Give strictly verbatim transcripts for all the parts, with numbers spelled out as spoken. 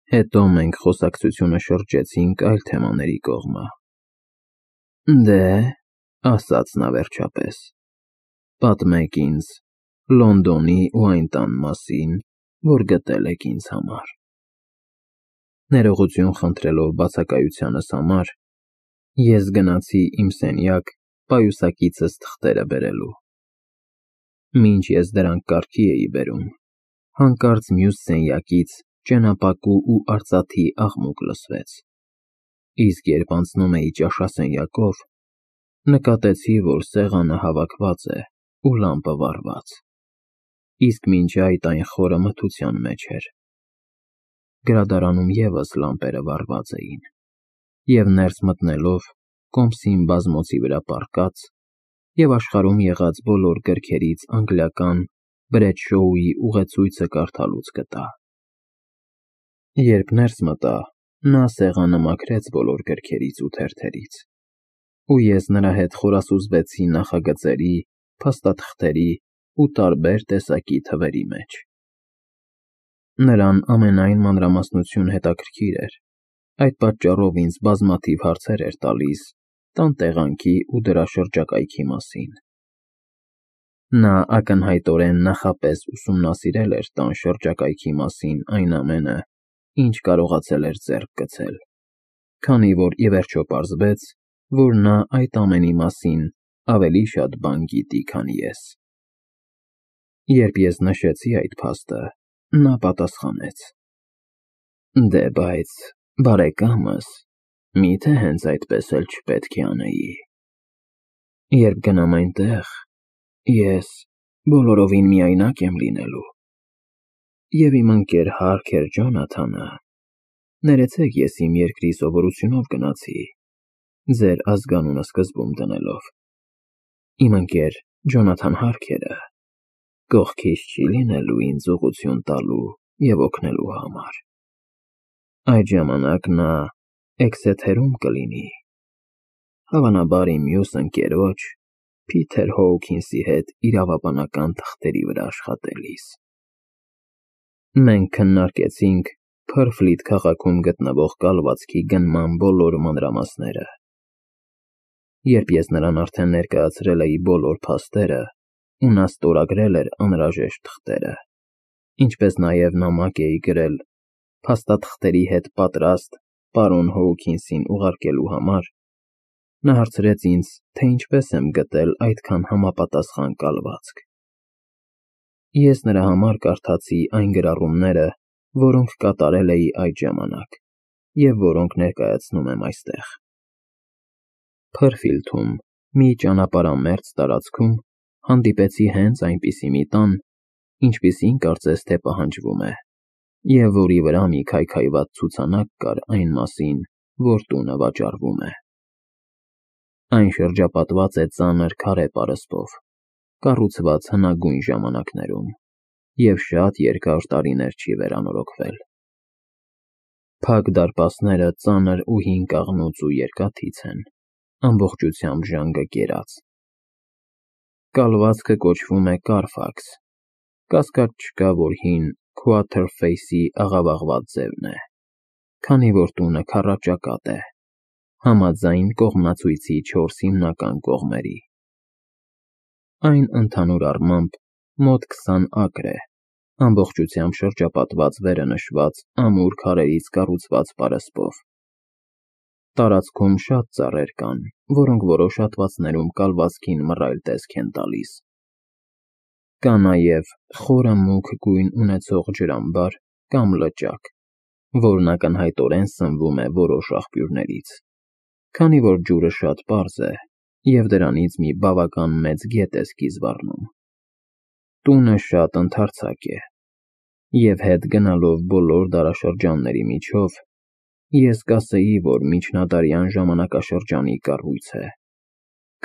Հետո մենք խոսակցությունը շրջեցինք այլ թեմաների կողմը։ Դե, ասաց նա վերջապես, պատմեք ինձ Լոնդոնի ու այն տան մասին, որ գտել եք ինձ համար։ Ներողություն խնդրելով բացակայությանս համար, ես գնացի իմ սենյակ պայուսակիցս թղթերը բերելու։ Մինչ ես դրանք կարգի էի բերում, հանկարծ մյուս սենյակից ճենապակու ու արծաթի աղմուկ լսվեց, իսկ երբ անցնում էի ճաշասենյակով, նկատեցի, որ սեղանը հավաքված է ու լամպը վառված, իսկ մինչ այդ այն խորը մթության մեջ էր։ Գրադարանում ևս լամպերը վառված էին, և ներս մտնելով կոմսին բազմոցի վրա պառկած և աշխարհում եղած բոլոր գրքերից անգլիական Բրեդշոուի ուղեցույցը կարդալուց գտա։ Երբ ներս մտա, նա սեղանը մաքրեց բոլոր գրքերից ու թերթերից, ու ես նրա հետ խորասուզվեցի նախագծերի, փաստաթղթերի ու տարբեր տեսակի թվերի մեջ։ Նրան ամենայն մանրամասնություն հետաքրքիր էր, այդ պատճառով ինձ բազմաթիվ հարցեր էր տալիս տան տեղանքի ու դրա շրջակայքի մասին։ Նա ակնհայտորեն նախապես ուսումնասիրել էր տան շրջակայքի մասին այն ամենը, ինչ կարողացել էր ձեռք գցել, քանի որ ի վերջո պարզվեց, որ նա այդ ամենի մասին ավելի շատ բան գիտի, քան ես։ Երբ ես նշեցի այդ փաստը, նա պատասխանեց. Դե բայց, բարեկամս, միթե հենց այդպես էլ չպետք է անեի։ Երբ գնամ այնտեղ, ես բոլորովին միայնակ եմ լինելու, և իմ ընկեր Հարքեր Ջոնաթանը, ներեցեք ես իմ երկրի սովորությունով գնացի, ձեր ազգանունը սկզբում դնելով, իմ ընկեր Ջոնաթան Հարքերը կողքիս չի լինելու ինձ ուղղություն տալու և օգնելու համար։ Այդ ժամանակ նա Էքսեթերում կլինի, հավանաբար իմ մյուս ընկերոջ Փիթեր Հոուքինսի հետ իրավաբանական թղթերի վրա աշխատելիս։ Մենք քննարկեցինք Փըրֆլիթ քաղաքում գտնվող կալվածքի գնման բոլոր մանրամասները։ Երբ ես նրան արդեն ներկայացրել էի բոլոր փաստերը, ու նա ստորագրել էր անհրաժեշտ թղթերը, ինչպես նաև նամակ էի գրել փաստաթղթերի հետ պատրաստ պարոն Հոուքինսին ուղարկելու համար, նա հարցրեց ինձ, թե ինչպես եմ գտել այդքան համապատասխան կալվածք։ Ես նրա համար կարդացի այն գրառումները, որոնք կատարել էի այդ ժամանակ և որոնք ներկայացնում եմ այստեղ։ Փըրֆիլդում մի ճանապարհամերձ տարածքում հանդիպեցի հենց այնպիսի մի տան, ինչպիսին կարծես թե պահանջվում է, և որի վրա մի քայքայված ցուցանակ կար այն մասին, որ տունը վաճառվում է։ Այն շրջապատված է ծանր քարե պարսպով, կառուցված հնագույն ժամանակներում և շատ երկար տարիներ չի վերանորոգվել։ Փակ դարպասները ծանր ու հին կաղնուց ու երկաթից են, ամբողջությամբ ժանգը կերած։ Կալվածքը կոչվում է Կարֆաքս, կասկած չկա, որ հին Քուաթերֆեյսի աղավաղված ձևն է, քանի որ տունը քառաճակատ է, համաձայն կողմնացույցի չորս հիմնական կողմերի։ Այն ընդհանուր առմամբ մոտ քսան ակր է, ամբողջությամբ շրջապատված վերը նշված ամուր քարերից կառուցված պարսպով։ Տարածքում շատ ծառեր կան, որոնք որոշ հատվածներում կալվածքին մռայլ տեսք են տալիս։ Կա նաև խորը մուգ գույն ունեցող ջրամբար կամ լճակ, որն ակնհայտորեն սնվում է որոշ աղբյուրներից, քանի որ ջուրը շատ պարզ է և դրանից մի բավական մեծ գետ է սկիզբ առնում։ Տունը շատ ընդարձակ է, և հետ գնալով բոլոր դարաշրջանների միջով, ես կասեի, որ միջնադարյան ժամանակաշրջանի կառույց է,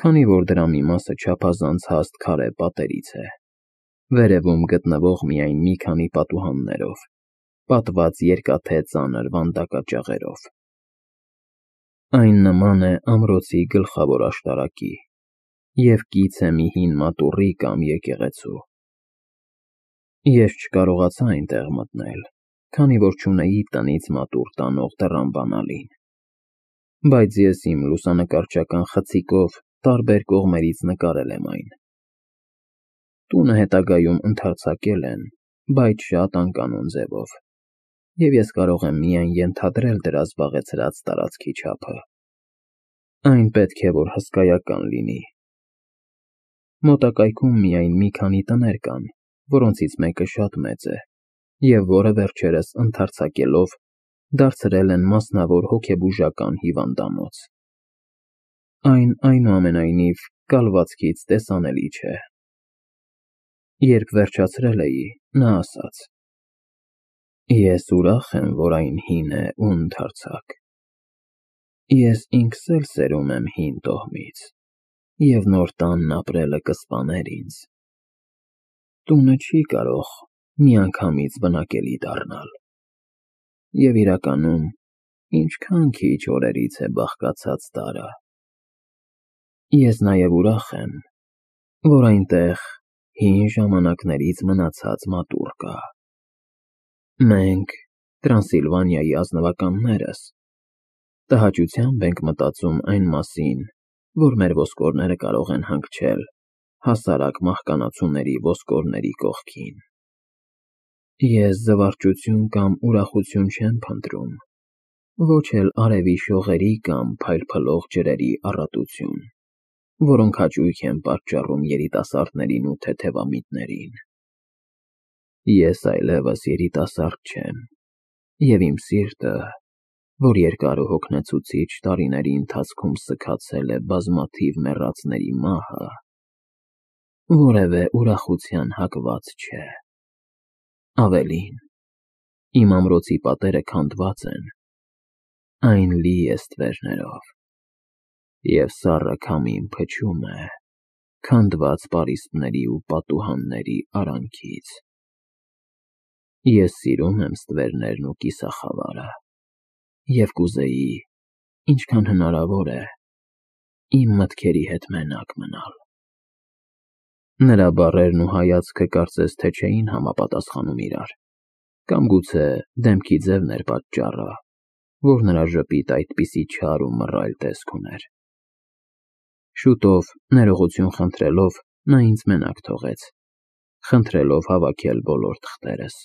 քանի որ դրա մի մասը չափազանց հաստ քարե պատերից է, վերևում գտնվող միայն մի քանի պատուհաններով, պատված երկաթե ծանր վանդակաճաղերով։ Այն նման է ամրոցի գլխավոր աշտարակի և կից է մի հին մատուռի կամ եկեղեցու։ Ես չկարողացա այնտեղ մտնել, քանի որ չունեի տնից մատուռ տանող տրամբանալին։ Բայց ես իմ լուսանկարչական խցիկով տարբեր կողմերից նկարել եմ այն։ Տունը հետագայում ընդարձակել են, բայց շատ անկանոն ձևով, և ես կարող եմ միայն ենթադրել դրա զբաղեցրած տարածքի չափը։ Այն պետք է որ հսկայական լինի։ Մոտակայքում միայն մի քանի տներ կան, որոնցից մեկը շատ մեծ է, և որը վերջերս ընդարձակելով դարձրել են մասնավոր հոգեբուժական հիվանդանոց։ Այն այնուամենայնիվ կալվածքից տեսանելի չէ։ Երբ վերջացրել էի, նա ասաց. «Ես ուրախ եմ, որ այն հին է ու ընդարձակ։ Ես ինքս էլ սերում եմ հին տոհմից, և նոր տանն ապրելը կսպաներ ինձ։ Տունը չի կարող միանգամից բնակելի դառնալ։ Եվ իրականում, ինչքան քիչ օրերից է բաղկացած տարը։ Ես նաև ուրախ եմ, որ այնտեղ հին ժամանակներից մնացած մատուռ կա։ Մենք, Տրանսիլվանիայի ազնվականներս, տհաճությամբ ենք մտածում այն մասին, որ մեր ոսկորները կարող են հանգչել հասարակ մահկանացուների ոսկորների կողքին։ Ես զվարճություն կամ ուրախություն չեմ փնտրում, ոչ էլ արևի շողերի կամ փայլփլող ջրերի առատություն, որոնք հաճույք են պատճառում երիտասարդներին ու թեթևամիտներին։ Ես այլևս երիտասարդ չեմ, և իմ սիրտը, որ երկար ու հոգնեցուցիչ տարիների ընթացքում սգացել է բազմաթիվ մեռածների մահը, որևէ ուրախության հակված չէ։ Ավելին, իմ ամրոցի պատերը քանդված են, այն լի է ստվերներով, և սառը քամին փչում է քանդված պարիսպների ու պատուհանների արանքից։ Ես սիրում եմ ստվերներն ու կիսախավարը, և կուզեի, ինչքան հնարավոր է, իմ մտքերի հետ մենակ մնալ։ Նրա բառերն ու հայացքը կարծես թե չէին համապատասխանում իրար, կամ գուցե դեմքի ձևն էր պատճառը, որ նրա ժպիտն այդպիսի չար ու մռայլ տեսք ուներ։ Շուտով, ներողություն խնդրելով, նա ինձ մենակ թողեց, խնդրելով հավաքել բոլոր թղթերս։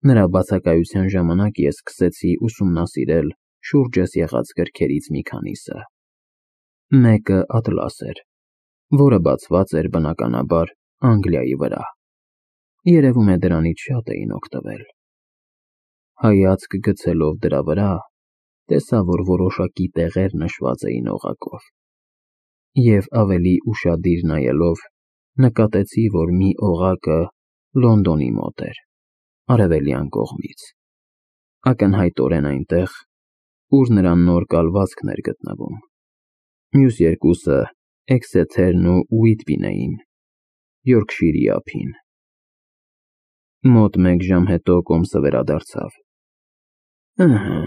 Նրա բացակայության ժամանակ ես սկսեցի ուսումնասիրել շուրջս եղած գրքերից մի քանիսը։ Մեկը ատլաս էր, որը բացված էր բնականաբար Անգլիայի վրա։ Երևում է դրանից շատ էին օգտվել։ Հայացք գցելով դրա վրա, տեսա, որ որոշակի տեղեր նշված էին օղակով, և ավելի ուշադիր նայելով, նկատեցի, որ մի օղակը Լոնդոնի մոտ էր, արևելյան կողմից, ակնհայտորեն այնտեղ, ուր նրա նոր կալվածքն էր գտնվում։ Մյուս երկուսը Էքսեթերն ու Ուիտբին էին, Յորքշիրի ափին։ Մոտ մեկ ժամ հետո կոմսը վերադարձավ։ «Ըհը»,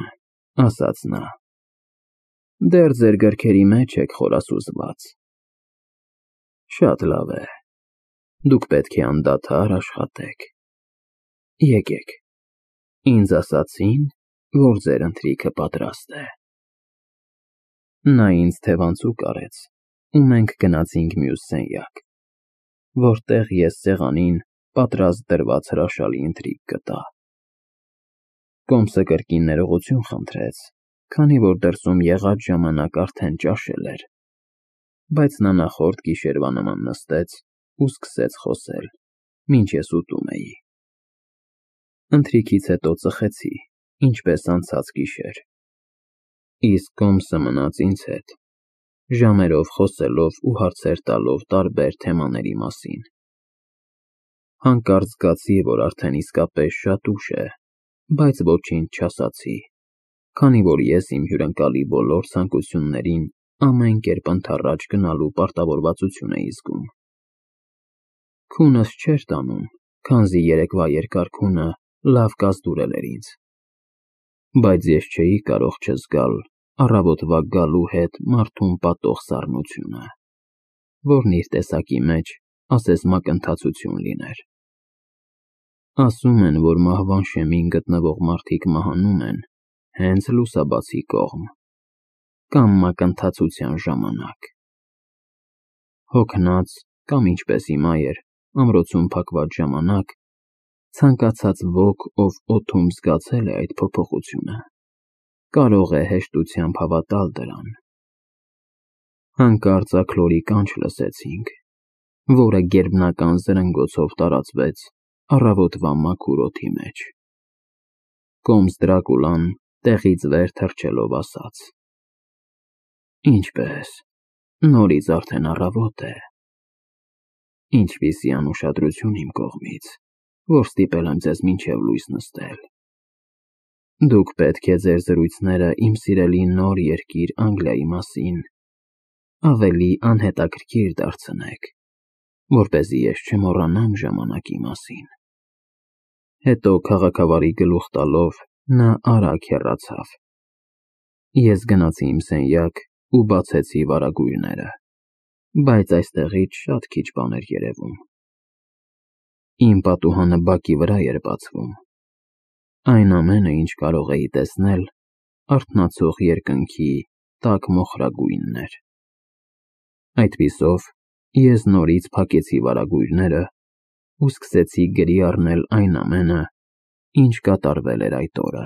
ասաց նա, «դեռ ձեր գրքերի մեջ եք խորասուզված։ Շատ լավ է, դուք պետք է անդադար աշխատեք։ Եկեք, ինձ ասացին, որ ձեր ընթրիքը պատրաստ է»։ Նա ինձ թևանցուկ արեց, ու մենք գնացինք մյուս սենյակ, որտեղ ես սեղանին պատրաստ դրված հրաշալի ընթրիք գտա։ Կոմսը կրկին ներողություն խնդրեց, քանի որ դրսում եղած ժամանակ արդեն ճաշել էր, բայց նա նախորդ գիշերվա նման նստեց ու սկսեց խոսել, մինչ ես ուտում էի։ Ընթրիքից հետո ծխեցի, ինչպես անցած գիշեր, իսկ կոմսը մնաց ինձ հետ, ժամերով խոսելով ու հարցեր տալով տարբեր թեմաների մասին։ Հանկարծ զգացի, որ արդեն իսկապես շատ ուշ է, բայց ոչինչ չասացի, քանի որ ես իմ հյուրընկալի բոլոր ցանկություններին ամեն կերպ ընդառաջ գնալու պարտավորվածություն էի զգում։ Քունս չէր տանում, քանզի երեկվա երկար քունը լավ կազդուրել էր ինձ։ Բայց ես չէի կարող չզգալ առավոտվա գալու հետ մարդուն պատող սառնությունը, որն իր տեսակի մեջ ասես մակընթացություն լիներ։ Ասում են, որ մահվան շեմին գտնվող մարդիկ մահանում են հենց լուսաբացի կողմ կամ մակընթացության ժամանակ։ Հոգնած կամ ինչպես հիմա էր, ամրոցում փակված ժամանակ, ցանկացած ոք, ով օդում զգացել է այդ փոփոխությունը, կարող է հեշտությամբ հավատալ դրան։ Հանկարծ աքլորի կանչ լսեցինք, որը գերբնական զրնգոցով տարածվեց առավոտվա մաքուր օդի մեջ։ Կոմս Դրակուլան տեղից վեր թռչելով ասաց. Ինչպե՞ս, նորից արդեն առավոտ է։ Ինչպիսի անուշադրություն իմ կողմից, որ ստիպել եմ ձեզ մինչև լույս նստել։ Դուք պետք է ձեր զրույցները իմ սիրելի նոր երկիր Անգլիայի մասին ավելի անհետաքրքիր դարձնեք, որպեսզի ես չմոռանամ ժամանակի մասին։ Հետո քաղաքավարի գլուխ տալով նա արագ հեռացավ։ Ես գնացի իմ սենյակ ու բացեցի վարագույրները, բայց այստեղից շատ քիչ բան էր երևում։ Իմ պատուհանը բակի վրա էր բացվում։ Այն ամենը, ինչ կարող էի տեսնել, արթնացող երկնքի տաք մոխրագույնն էր։ Այդպիսով ես նորից փակեցի վարագույրները ու սկսեցի գրի առնել այն ամենը, ինչ կատարվել էր այդ օրը։